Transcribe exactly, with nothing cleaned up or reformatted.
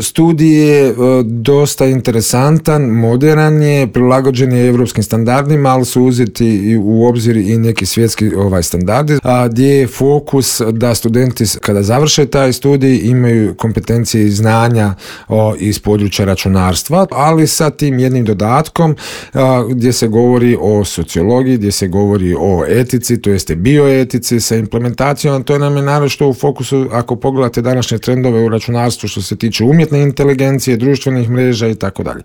Studij je dosta interesantan, moderan je, prilagođen je europskim standardima, ali su uzeti u obzir i neki svjetski ovaj standardi, a gdje je fokus da studenti kada završe taj studij imaju kompetencije i znanja o, iz područja računarstva, ali sa tim jednim dodatkom a, gdje se govori o sociologiji, gdje se govori o etici, to jeste bioetici sa implementacijom. To nam je naročito u fokusu ako pogledate današnje trendove u računarstvu što se tiče umjetne inteligencije, društvenih mreža i tako dalje.